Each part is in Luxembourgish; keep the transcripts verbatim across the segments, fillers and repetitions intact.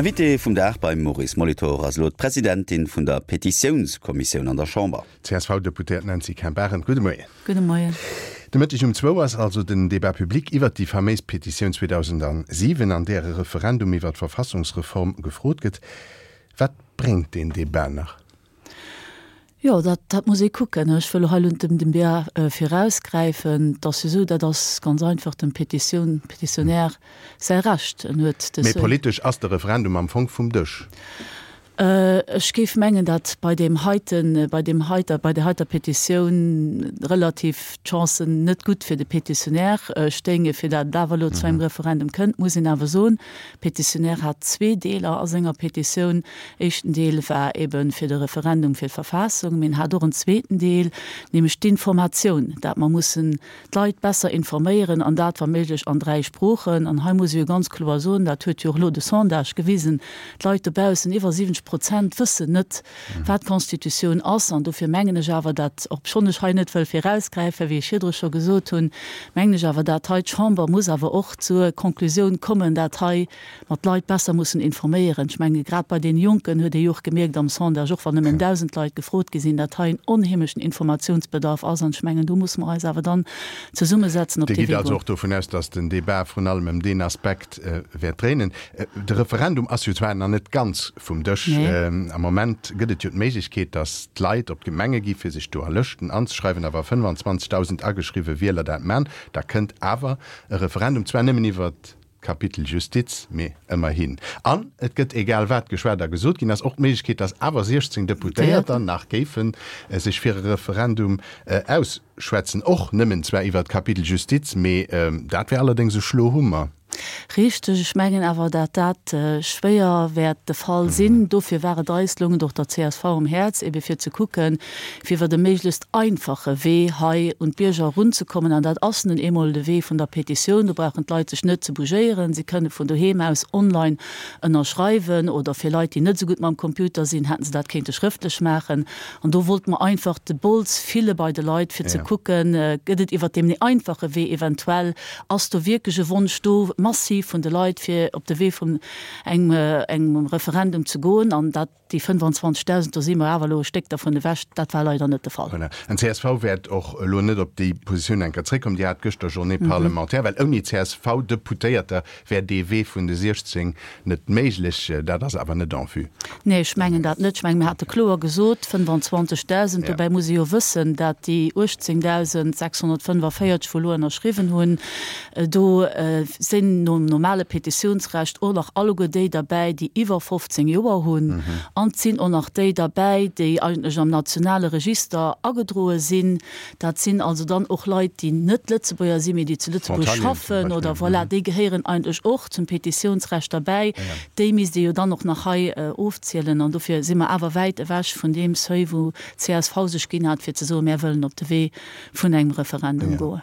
Invité vum Dag beim Maurice Molitor ass elo d'Presidentin vun der Petitiounskommissioun an der Chamber. C S V-Deputéiert Nancy Kemp-Arendt, gudde Moien. Gudde Moien. De Mëtteg um zwou ass also den Débat public iwwert déi faméis Petitioun zweedausendsiwen, an där e Referendum iwwer d'Verfassungsreform gefrot gëtt. Wat bréngt deen Debat nach? Jo, dat, dat muss ee kucken. Ech wëll hei elo net dem Debat virausgräifen. Et ass jo esou, dat ass ganz einfach dem Petitioun, Petitionär säi Recht. En huet de. Mee politesch ass de Referendum am Fong vum Dësch. Ech géif mengen, datt bei deem heiten, bei deem heiter, bei där heiter Petitioun relativ d'Chancen net gutt fir de Petitionär stéinge fir dat et awer elo zu engem Referendum kënnt, muss een awer soen. Petitionär hat zwee Deeler a senger Petitioun. Éischten Deel war ebe fir de Referendum fir d'Verfassung, mee en hat och en zweeten Deel, nämlech d'Informatioun, dat mer mussen d'Leit besser informéieren an dat wa méiglech an dräi Sproochen. An hei muss ee jo ganz kloer soen, dat huet jo och elo de Sondage gewisen, d'Leit dobaussen, iwwer siwwenzeg Prozent wëssen net, wat d'Constitutioun ass. An dofir mengen ech awer, dat, obschonn ech hei net wëll virausgräifen, wéi ech virdru scho gesot hunn, mengen ech awer, dat hei d'Chamber muss awer och zur Konklusioun kommen, dat hei mer d'Leit besser mussen informéieren. Ech menge grad bei deene Jonken huet ee jo och gemierkt am Sondage, och wann nëmmen dausend Leit gefrot gi sinn, dat hei en onheemlechen Informatiounsbedarf ass. An ech mengen, do musse mer eis awer dann zesummesetzen, op Dir dee gitt Wee also goen. och dovun aus, datt den Debat vrun allem ëm deen Aspekt wäert dréinen. De Referendum ass jo zwar nach net ganz vum Dësch. Nee. Am Moment gëtt et jo d'Méiglechkeet, datt d'Leit op d'Gemenge gi fir sech do a Lëschten anzeschreiwen. A wa fënnefanzwanzegdausend ageschriwwe Wieler dat man, da kënnt awer e Referendum, zwar nëmmen iwwer d'Kapitel Justiz, mee ëmmerhin. An et gëtt, egal wat geschwat a gesot ginn ass, och d'Méiglechkeet, datt awer siechzéng Deputéierter nach géife sech fir e Referendum ausschwätzen, och nëmmen zwar iwwer d'Kapitel Justiz, mee dat wär allerdéngs e Schlohummer. Richteg, ech mengen awer, dat dat schwéier wäert de Fall sinn. Dofir war et eis, loung et och der C S V um Häerz, ebe fir ze kucken, fir iwwer e méiglechst einfache Wee hei un d'Bierger erunzekommen. An dat ass nun eemol de Wee vun der Petitioun. Do brauchen d'Leit sech net ze bougéieren, si kënne vun doheem aus online ënnerschreiwen oder fir Leit, déi net esou gutt mam Computer sinn, hätten se dat kéinte schrëftlech maachen. An do wollte mer einfach de Bols fille bei de Leit, fir ze kucken, gëtt et iwwert deem méi einfache Wee eventuell, ass do wierklech e Wonsch do, massiv vun de Leit, fir op de Wee vun engem engem Referendum ze goen. An dat, déi fënnefanzwanzegdausend, do si mer awer elo e Stéck dervun ewech, dat war leider net de Fall. Voilà. An C S V wäert och elo net op déi Positioun eng Kéier zréckkommen, Dir hat gëschter Journée parlementaire, well ouni C S V-Deputéierter wär dee Wee vun de siechzéng net méiglech. Dat ass awer net en vue. Nee, ech mengen dat net. Ech mengen, mir hate kloer gesot fënnefanzwanzegdausend. Dobäi muss ee jo wëssen, dat déi uechtzéngdausend sechshonnertfënnefavierzeg, wou elo ënnerschriwwen hunn, do sinn nom normale Petitiounsrecht och nach alleguer déi derbäi, déi iwwer fofzéng Joer hunn. An et sinn och nach déi derbäi, déi eigentlech am nationale Register agedroe sinn. Dat sinn also dann och Leit, déi net Lëtzebuerger sinn, mee déi zu Lëtzebuerg Frontalieren zum schaffen oder Beispill. Voilà, déi gehéieren eigentlech och zum Petitiounsrecht derbäi. Déi misst ee jo dann och nach hei ofzielen. An dofir si mer awer wäit ewech vun deem Seuil, wou C S V sech ginn hat, fir ze soen, mär wëllen op de Wee vun engem Referendum goen.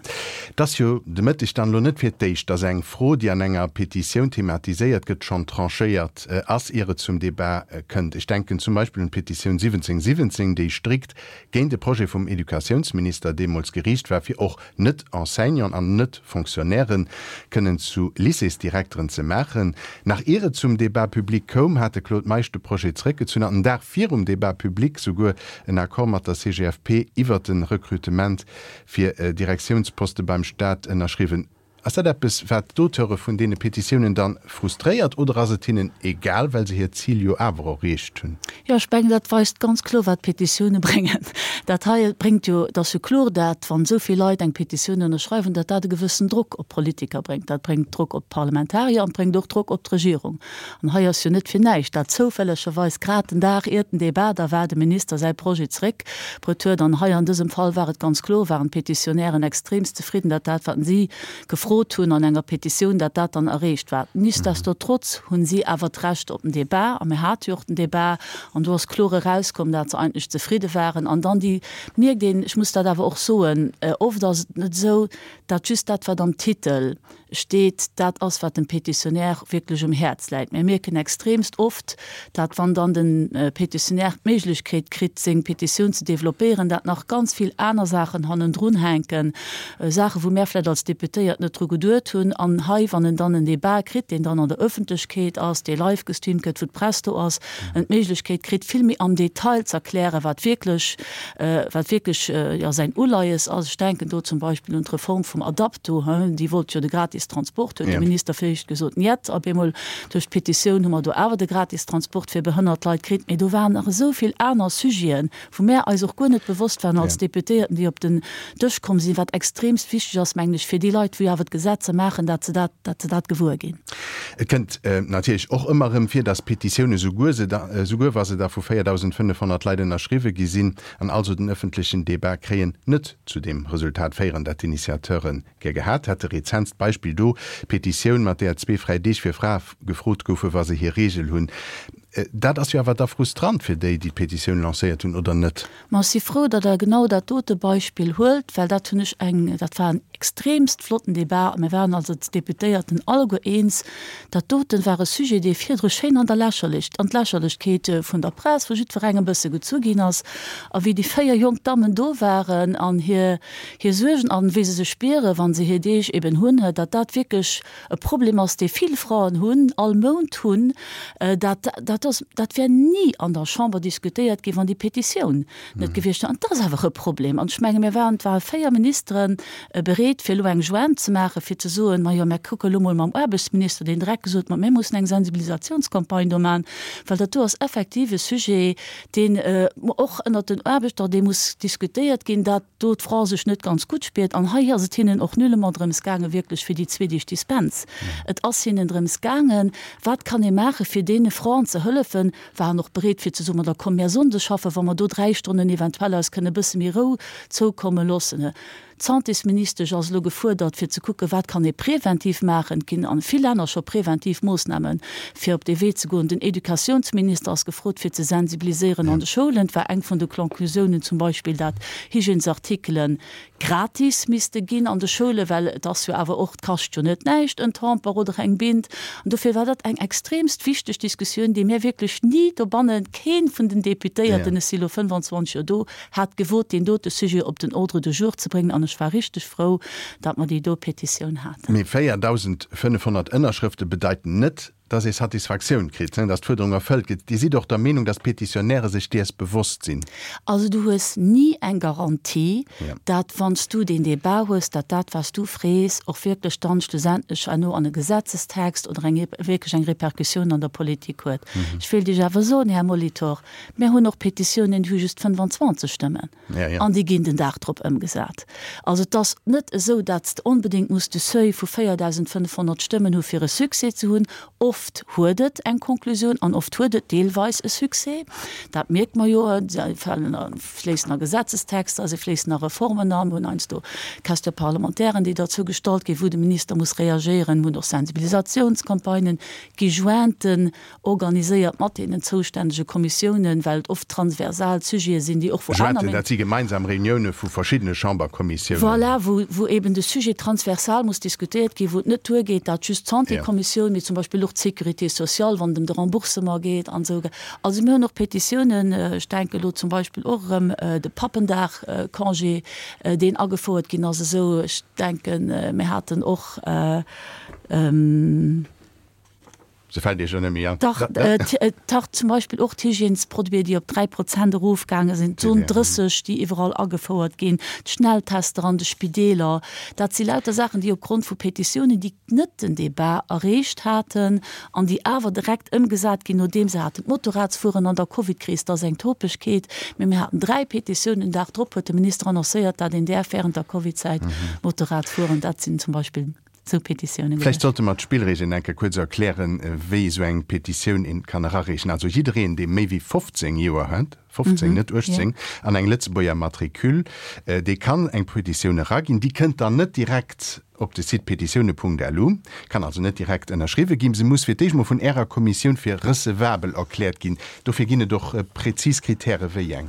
Et ass jo de Mëtteg dann elo net fir d'éischt, dass eng Fro, déi an enger Petitioun thematiséiert gëtt, schonn tranchéiert ass, ier et zum Debat kënnt. Ech denken zum Beispill un d'Petitioun siwwenzéng siwwenzéng, déi strikt géint de Projet vum Educatiounsminister deemools geriicht war, fir och Net-Enseignanten an Net-Fonctionnairen kënnen zu Lycéesdirekteren ze maachen. Nach ier et zum Débat public koum, hat de Claude Meisch de Projet zréckgezunn an den Dag virum Débat public souguer en Accord mat der C G F P iwwert de Rekrutement fir Direktiounsposte beim Staat ënnerschriwwen. Ass dat eppes, wat d'Auteure vun deene Petitiounen dann frustréiert oder ass et hinnen egal, well se hiert Zil jo awer erreecht hunn? Jo, ech mengen, dat weist ganz kloer, wat Petitioune bréngen. Dat hei bréngt jo, et ass jo kloer, dat, wann esou vill Leit eng Petitioun ënnerschreiwen, dat dat e gewëssen Drock op d'Politiker bréngt. Dat bréngt Drock op d'Parlamentarier an et bréngt och Drock op d'Regierung. An hei ass jo net fir näischt, dat zoufällegerweis grad den Dag iert den Debat da war, de Minister säi Projet zréckbruet huet. An hei an dësem Fall war et ganz kloer, waren d'Petitionären extremst zefridden, dat dat, wat si gefrot hunn an enger Petitioun, dat dat dann erreecht war. Nichtsdestotrotz hunn si awer d'Recht op den Debat, a mir hate jo och den Debat, an do ass kloer erauskomm, dat se eigentlech zefridde waren. An dann déi, mierkt een, ech muss dat awer och soen, oft ass et net esou, dat just dat, wat am Titel steet, dat ass, wat dem Petitionär wierklech um Häerz läit. Mir mierken extremst oft, dat wann dann de Petitionär d'Méiglechkeet kritt, seng Petitioun ze developpéieren, dat nach ganz vill aner Saachen hannendrun hänken, Saachen, wou mär vläicht als Deputéiert net dru geduet hunn. An hei, wann en dann en Débat kritt, deen dann an der Öffentlechkeet ass, dee live gestreamt gëtt, wou d'Press do ass, en d'Méiglechkeet kritt, vill méi am Detail z'erklären, wat wierklech, wat wierklech, jo, säin Uleies ass. Ech denken do zum Beispill un d'Reform vum Adapto, déi wollt jo de gratis Transport, huet de Minister viréischt gesot, Njet. Op eemol duerch d'Petitioun hu mer do awer de gratis Transport fir behënnert Leit kritt. Mee do waren nach esou vill aner Sujeten, wou mär eis och guer net bewosst waren als Deputéierten, déi op den Dësch komm sinn, wat extremst wichteg ass, mengen ech, fir déi Leit, wou jo awer d'Gesetzer maachen, dat se dat, dat se dat gewuer ginn. Et kënnt natierlech och ëmmer erëm vir, dass Petitiounen, souguer se da, souguer wa se da vu véierdausendfënnefhonnert Leit ënnerschriwwe gi sinn an also den öffentlechen Débat kréien, net zu deem Resultat féieren, dat d'Initiateure gär gehat hätte. Rezentst Beispill do, d'Petitioun, mat där zwee fräi Deeg fir Frae gefrot goufe wa se hir Reegel hunn. Dat ass jo awer da frustrant fir déi, déi d'Petitioun lancéiert hunn, oder net? Ma ech si frou, datt Der genau dat dote Beispill huelt, well dat hunn ech eng, dat war en extremst flotten Débat a mir waren eis als Deputéierten alleguer eens, dat doten war e Sujet, dee virdru schéin an der Lächerlech, an d'Lächerlechkeet vun der Press, vu jiddwerengem e bësse gezu ginn ass. A wéi déi véier jonk Dammen do waren an hir, hir Suergen an wéi se sech spieren, wa se hir Deeg eben hunn, datt dat wierklech e Problem ass, dee vill Fraen hunn, all Mount hunn, dat, dat ass, dat wär ni an der Chamber diskutéiert ginn, wann déi Petitioun net gewiescht wär. An dat ass awer e Problem. An ech menge mir waren, et ware véier Ministere bereet, fir elo eng Jointe ze maachen, fir ze soen, Majo, mir kucke elo mol mam Aarbechtsminister, deen direkt gesot huet, Ma mir mussen eng Sensibilisationscampagne do maachen, well dat do ass effektiv e Sujet, deen och ënnert den Aarbechter, dee muss diskutéiert ginn, dat do d'Fra sech net ganz gutt spiert. An hei ass et hinnen och nullement drëms gaangen, wierklech fir déi zwee Deeg Dispens. Et ass hinnen drëms gaangen, wat kann ee maachen, fir deene Fraen ze hëllefen, waren och bereet fir ze soen, ma da komm mär sonndes schaffen, wa mer do dräi Stonnen eventuell eis kënne bësse méi Rou zoukomme loossen. D'Santésministesch ass elo gefuerdert, fir ze kucken, wat kann ee preventiv maachen. Et ginn a vill Länner scho preventiv Moossnamen, fir op dee Wee ze goen. Den Educatiounsminister ass gefrot, fir ze sensibiliséieren an de Schoulen. Et war eng vun de Conclusiounen zum Beispill, dat Hygiènesartikele gratis misste ginn an de Schoulen, well et ass jo awer och, et kascht jo net näischt, en Tamper oder eng Bind. An dofir war dat eng extremst wichteg Diskussioun, déi mir wierklech ni dobannen, kee vun den Deputéierten, ech si elo fënnefanzwanzeg Joer do, hat gewot, deen dote Sujet op den Ordre du jour ze bréngen. An ech war richteg frou, datt mer déi do Petitioun haten. Mee véierdausendfënnefhonnert Ënnerschrëfte bedeiten net, datt ee Satisfaktioun kritt, datt d'Fuerderung erfëllt gëtt. Dir sidd och der Meenung, datt d'Petitionnairë sech däers bewosst sinn? Also du hues ni eng Garantie, datt wann s du deen Débat hues, datt dat wat s du frees och wierklech dann schlussendlech herno an e Gesetzestext oder eng wierklech eng Répercussioun an der Politik huet. Ech wéilt Iech awer soen, Här Molitor, mir hunn och Petitiounen, déi hu just fënnefanzwanzeg Stëmmen an déi ginn den Dag drop ëmgesat. Also et ass net esou, datt s de onbedéngt muss de Seuil vu véierdausendfënnefhonnert Stëmmen hu fir e Succès ze hunn. Oft huet et eng Konklusioun an oft huet et deelweis e Succès. Dat mierkt mer jo, se falen a fléissen a Gesetzestexter, se fléissen a Reformen an. Mir hunn heiansdo Question-parlementairen, déi derzou gestallt ginn, wou de Minister muss reagéieren. Mir hunn och Sensibilisatiounscampagnen, gi Jointen organiséiert mat deenen zoustännege Kommissiounen, well et oft transversal Sujete sinn, déi och wou aner. Jointen, dat si gemeinsam Reunioune vu verschiddene Chamberkommissiounen. Voilà, wou, wou eben de Sujet transversal muss diskutéiert ginn, wou et net duergeet, datt just d'Santékommissioun, mee zum Beispill och d'Sécurité sociale, wann et ëm de Remboursement geet an esou. Also mir hunn och Petitiounen, ech denke elo zum Beispill och erëm de Pappendag-Congé, deen agefouert ginn ass esou. Ech denken, mir haten och. Se fält Iech jo net méi an. Dach, dach, zum Beispill och d'Hygiènesproduiten, déi op dräi Prozent erofgaange sinn, d'Zon drësseg, déi iwwerall agefouert ginn, d'Schnelltester an de Spideeler. Dat si lauter Saachen, déi opgrond vu Petitiounen, déi net den Débat erreecht haten an déi awer direkt ëmgesat ginn, nodeem se haten. D'Motorradsfueren an der Covidkris, dat ass eng Topegkeet, mee mir haten dräi Petitiounen. Den Dag drop huet de Minister annoncéiert, dat een däerf während der Covidzäit Motorrad fueren. Dat sinn zum Beispill. Sou Petitiounen Vläicht sollte mer d'Spillregeln eng Kéier kuerz erklären, wéi esou eng Petitioun een kann erareechen. Also jiddereen, dee méi wéi fofzéng Joer huet, fofzéng, net uechtzéng, an eng Lëtzebuerger Matricule, dee kann eng Petitioun eraginn. Déi kënnt dann net direkt op de Site petitioune Punkt lu, kann also net direkt ënnerschriwwe ginn. Se muss fir d'éischt mol vun Ärer Kommissioun fir recevabel erkläert ginn. Dofir ginn et och prezis Kritäre wéi eng.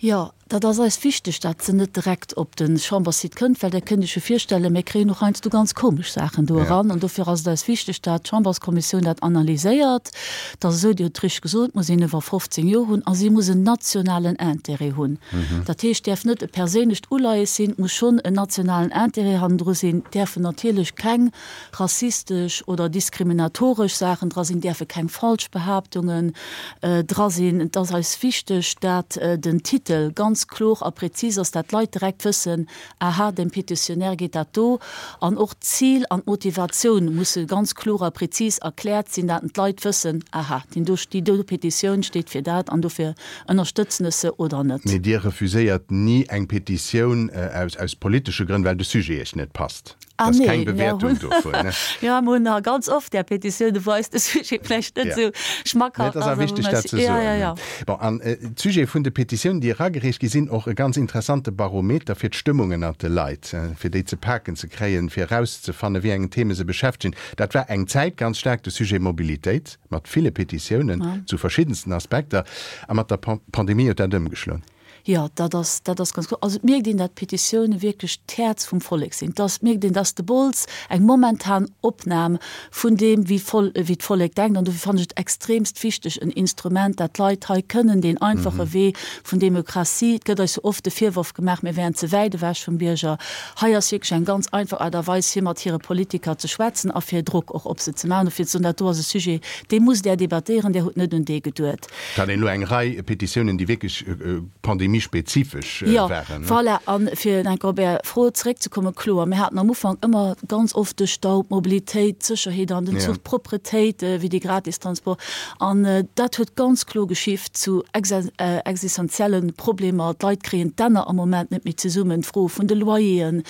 Jo, Dat ass eis wichteg, dat se net direkt op de Chamberssite kënnt, well Der kënnt Iech jo virstellen, mir kréien och heiansdo ganz komesch Saachen do eran. An dofir ass et eis wichteg, dat d'Chamberskommissioun dat analyséiert. Et ass esou, Dir hutt et richteg gesot, et muss een iwwer fofzéng Joer hunn a si muss en nationalen Intérêt hunn. Dat heescht, et däerf net e perséinlecht Uleies sinn, et muss schonn en nationalen Intérêt hannendru sinn. Et däerfen natierlech keng rassistesch oder diskriminatoresch Saachen dra sinn, et däerfe keng falsch Behaaptungen dra sinn. Et ass eis wichteg, dat den Titel ganz ganz kloer a präzis ass, dat d'Leit direkt wëssen, aha, dem Pétitionnaire geet dat do. An och d'Zil an d'Motivatioun musse ganz kloer a präzis erkläert sinn, dat d'Leit wëssen, aha, deen do, déi do Petitioun steet fir dat an dofir ënnerstëtzen ech se oder net. Mee Dir refuséiert ni eng Petitioun aus, aus politesche Grënn, well de Sujet Iech net passt? Ah, Das nee, keng mir Bewäertung hunn dovun, ne? Ja, mir hunn ganz oft där Petitioune wou eis de Sujet vläicht net Ja. esou Nee, schmackhaft et ass ass, awer a wou wichteg, mer dat ze ja, soen, ja, ne? ja. Bon, an d'Sujete vun de Petitiounen, déi eragereecht gi sinn, och e ganz interessante Barometer fir d'Stëmmung ënnert de Leit, fir déi ze paken ze kréien, fir erauszefannen, wéi engen Theme se beschäftegen. Dat war eng Zäit ganz staark de Sujet Mobilitéit, mat ville Petitiounen Ja. zu verschiddensten Aspekter. A mat der Pandemie huet dat ëmgeschloen. Jo, dat ass, dat ass ganz kloer. Also et mierkt een, dat d'Petitioune wierklech d'Häerz vum Vollek sinn. Et ass, mierkt een, dass de Bols eng momentan Opnam vun deem, wéi d'Voll, wéi d'Vollek denkt. An dofir fannen ech et extremst wichteg, en Instrument, dat d'Leit hei kënnen deen einfache Wee vun Demokratie, et gëtt eis jo oft de Virworf gemaach, mir wären ze wäit ewech vum Bierger. Hei ass wierklech eng ganz einfach Aart a Weis, fir mat hire Politiker ze schwätzen a fir Drock och op se ze maachen a fir ze soen, dat do ass e Sujet, dee musst Der debattéieren, Där hutt net un dee geduet. Et hat een elo eng Rei Petitiounen, déi wierklech pandemiespezifesch Jo, waren. voilà. An fir enk op Är Fro zeréckzekommen, kloer, mir haten am Ufank ëmmer ganz oft de Stau, d'Mobilitéit, d'Sécherheet an den Zuch, d'Propretéit, wéi de Gratistransport. An dat huet ganz kloer geschift zu existenzielle Problemer. D'Leit kréien d'Enner am Moment net méi zesummen, d'Fro vun de Loyeren,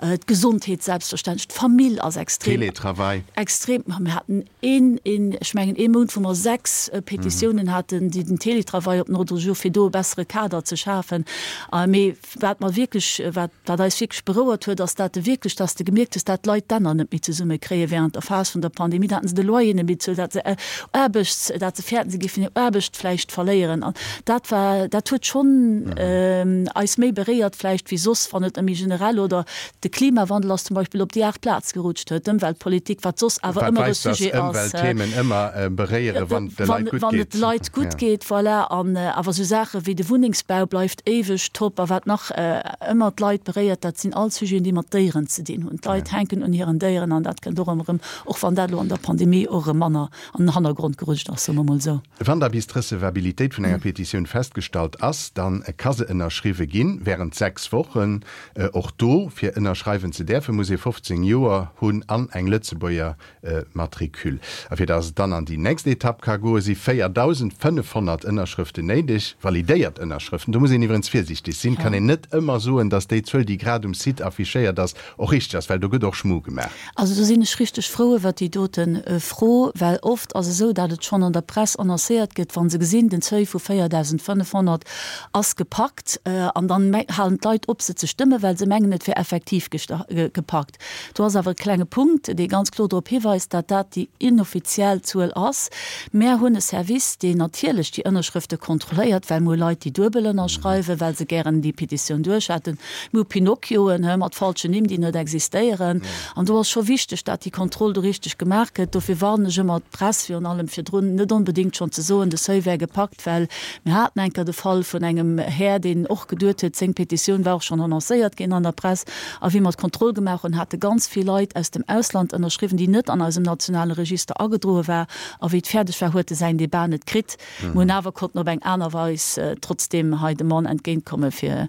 d'Gesondheet selbstverständlech, d'Famill ass extrem. Teletravail. Extrem. Mir haten een, een, ech mengen ee Mount, wou mer sechs Petitiounen haten, déi den Teletravail op den Ordre du jour, fir do e bessere Kader ze schafen. Mee wat mer wierklech, wat, wat eis wierklech berouert huet, ass dat de wierklech, dass de gemierkt hues, dat d'Leit d'Enner net méi zesumme kréie während der Phas vun der Pandemie, dat se de Loyer net méi bezuelen, dat se Aarbechts, dat se fäerten, se géifen hir Aarbecht vläicht verléieren. An dat war, dat huet schonn eis méi beréiert vläicht wéi soss, wann et ëm méi generell oder de Klimawandel ass zum Beispill op déi aacht Plaz gerutscht, d'Ëmweltpolitik, wat soss awer Wat ëmmer e weist, dass Sujet ass. Ëmweltthemen ëmmer beréieren, wann et de Leit gutt Wann et geet. de Leit gutt geet, voilà. An awer esou Saache wéi de Wunnengsbau bleift éiweg top. A wat nach ëmmer d'Leit beréiert, dat sinn all Sujeten, déi mat Déieren ze dinn hunn. D'Leit hänken un hiren Déieren an dat kënnt och ëmmer erëm, och wann dat elo an der Pandemie och erëm manner an den Hannergrond gerutscht ass, soe mer mol esou. Wann da bis d'Recevabilitéit vun enger Petitioun festgestallt ass, da ka se ënnerschriwwe ginn, während sechs Wochen. Och do, fir ënnerschreiwen ze däerfen, muss ee fofzéng Joer hunn an eng Lëtzebuerger Matricule. A fir datt et dann an déi nächst Etapp ka goen, si véierdausendfënnefhonnert Ënnerschrëften néideg, validéiert Ënnerschrëften. Do muss een iwwerens virsiichteg sinn, et kann een net ëmmer soen, datt déi Zuel, déi grad um Site affichéiert ass, och richteg ass, well do gëtt och Schmu gemaach. Also do sinn ech richteg frou iwwert déi dote Fro, well oft ass esou, datt et schonn an der Press annoncéiert gëtt, wa se gesinn, den Seuil vu véierdausendfënnefhonnert ass gepackt, an dann halen d'Leit op se ze stëmmen, well se mengen, et wär effektiv gepackt. Do ass awer e klenge Punkt, dee ganz kloer drop hiweist, datt dat déi inoffiziell Zuel ass. Mär hunn e Service, deen natierlech déi Ënnerschrëfte kontrolléiert, well mir hu Leit, déi duebel ënnerschreiwen, well se gären déi Petitioun duerch hätten. Mir hu Pinocchioen, he, mat falschen Nimm, déi net existéieren. An do ass scho wichteg, datt déi Kontroll do richteg gemaach gëtt. Dofir warnen ech ëmmer d'Press virun allem virdrun, net onbedéngt schonn ze soen, de Seuil wär gepackt, well mir haten eng Kéier de Fall vun engem Här, deen och geduet huet, seng Petitioun war och schonn annoncéiert ginn an der Press. A wéi mer d'Kontroll gemaach hunn, hate ganz vill Leit aus dem Ausland ënnerschriwwen, déi net an eisem nationale Register agedroe war. A wéi et fäerdeg war, huet e säin Debat net kritt. Mir hunn awer konnten op eng aner Weis trotzdeem hei dem Mann entgéintkomme fir,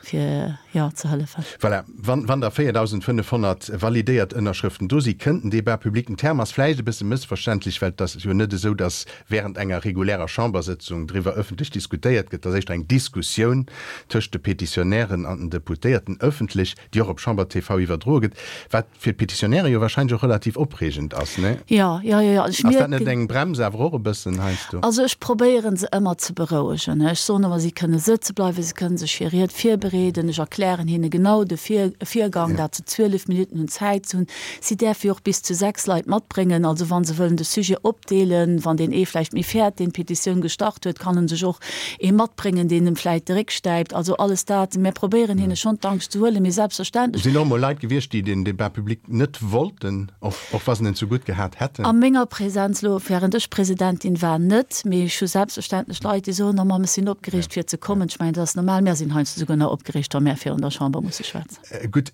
fir, jo, ze hëllefen. Voilà, wann, wann da véierdausendfënnefhonnert validéiert Ënnerschrëften do si, kënnt den Débat public. Den Term ass vläicht e bësse mëssverständlech, well et ass jo net esou, datt während enger regulärer Chambersëtzung driwwer ëffentlech diskutéiert gëtt. Et ass éischter eng Diskussioun tëscht de Petitionnairen an den Deputéierten ëffentlech, déi och op Chamber T V iwwerdroe gëtt, wat fir d'Petitionnaire jo wahrscheinlech och relativ opreegend ass, ne? Jo, jo, jo, jo. Ech Ass dat net mierken. eng Brems awer och e bëssen heiansdo? Also ech probéieren se ëmmer ze berouegen. Ech soen ëmmer, si kënne sëtzen. sëtze bleiwen, se kënnen sech hir Ried virbereeden. Ech erklären hinne genau de Virgang, dat se zwielef Minutten hunn Zäit ze hunn. Si däerfe jo och bis zu sechs Leit matbréngen. Also wa se wëllen de Sujet opdeelen, wann deen ee vläicht méi fäert, deen d'Petitioun gestart huet, kann en sech och ee matbréngen, deen em vläicht de Réck stäipt. Also alles dat. Mär probéieren hinne schonn d'Angscht ze huelen, mee selbstverständlech. Sinn och emol Leit gewiescht, déi den Débat public net wollten, och wa se en zu gutt gehat hätten? A menger Präsenz elo, während ech Presidentin war, net, mee ech hu selbstverständlech Leit, déi soen, Oh Mamm, ech sinn opgereegt fir ze kommen. Ech mengen, dat ass normal. Mär sinn heiansdo souguer nach opgereegt, wa mär virun der Chamber musse schwätzen. Gutt,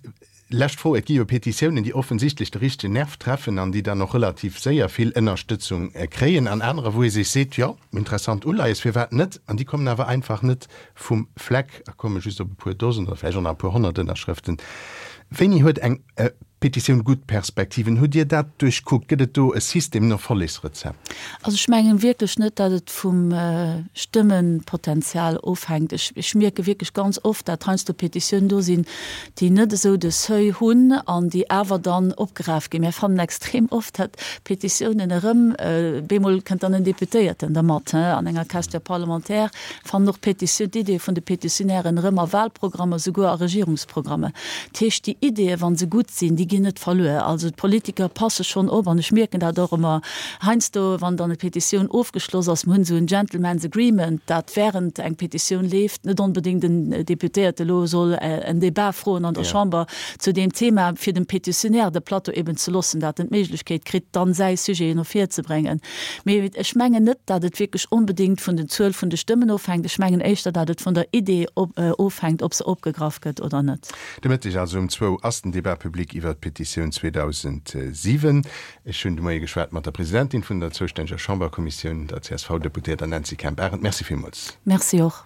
lescht Fro, Et gi jo Petitiounen, déi offensichtlech de richtegen Nerv treffen an déi dann och relativ séier vill Ënnerstëtzung kréien, an anerer, wou ee sech seet, Jo, interessant Uleies, firwat net? An déi kommen awer einfach net vum Fleck a komme just op e puer Dosen oder vläicht och nach e puer honnert Ënnerschrëften. Wéini huet eng Petitioun gutt Perspektiven? Hutt Dir dat duerchkuckt? Gëtt et do e System, en Erfollegsrezept? Also ech mengen wierklech net, datt et vum Stëmmenpotenzial ofhänkt. Ech ech mierke wierklech ganz oft, dat heiansdo Petitiounen do sinn, déi net esou de Seuil hunn an déi awer dann opgeraf ginn. Mir fannen extrem oft, dat Petitiounen erëm, bemol kënnt dann en Deputéierten dermat, an enger Question parlementaire, fannen och Petitioun, d'Iddie vun de Petitionnairen erëm a Wahlprogrammer, souguer a Regierungsprogrammer. Dat heescht, déi Iddien, wa se gutt sinn, déi ginn net verluer. Also d'Politiker passe schonn op an ech mierken dat och ëmmer heiansdo, wann dann eng Petitioun ofgeschloss ass, mir hunn esou en Gentleman's Agreement, dat während eng Petitioun leeft, net onbedéngt en Deputéierte elo soll en Débat froen an der Chamber zu deem Thema, fir dem Petitionnaire de Plateau eben ze loossen, dat en d'Méiglechkeet kritt, dann säi Sujet no vir ze bréngen. Mee ech mengen net, dat et wierklech onbedéngt vun den Zuel vun de Stëmmen ofhänkt. Ech mengen éischter, dat et vun der Idee ofhänkt, ob se opgegraff gëtt oder net. De Mëtteg also um zwou ass den Débat public iwwert d'Petitioun zweedausendsiwen. Ech hunn de Moie geschwat mat der Presidentin vun der zoustänneger Chamberkommissioun, der C S V-Deputéierter Nancy Kemp-Arendt. Merci villmools. Merci och.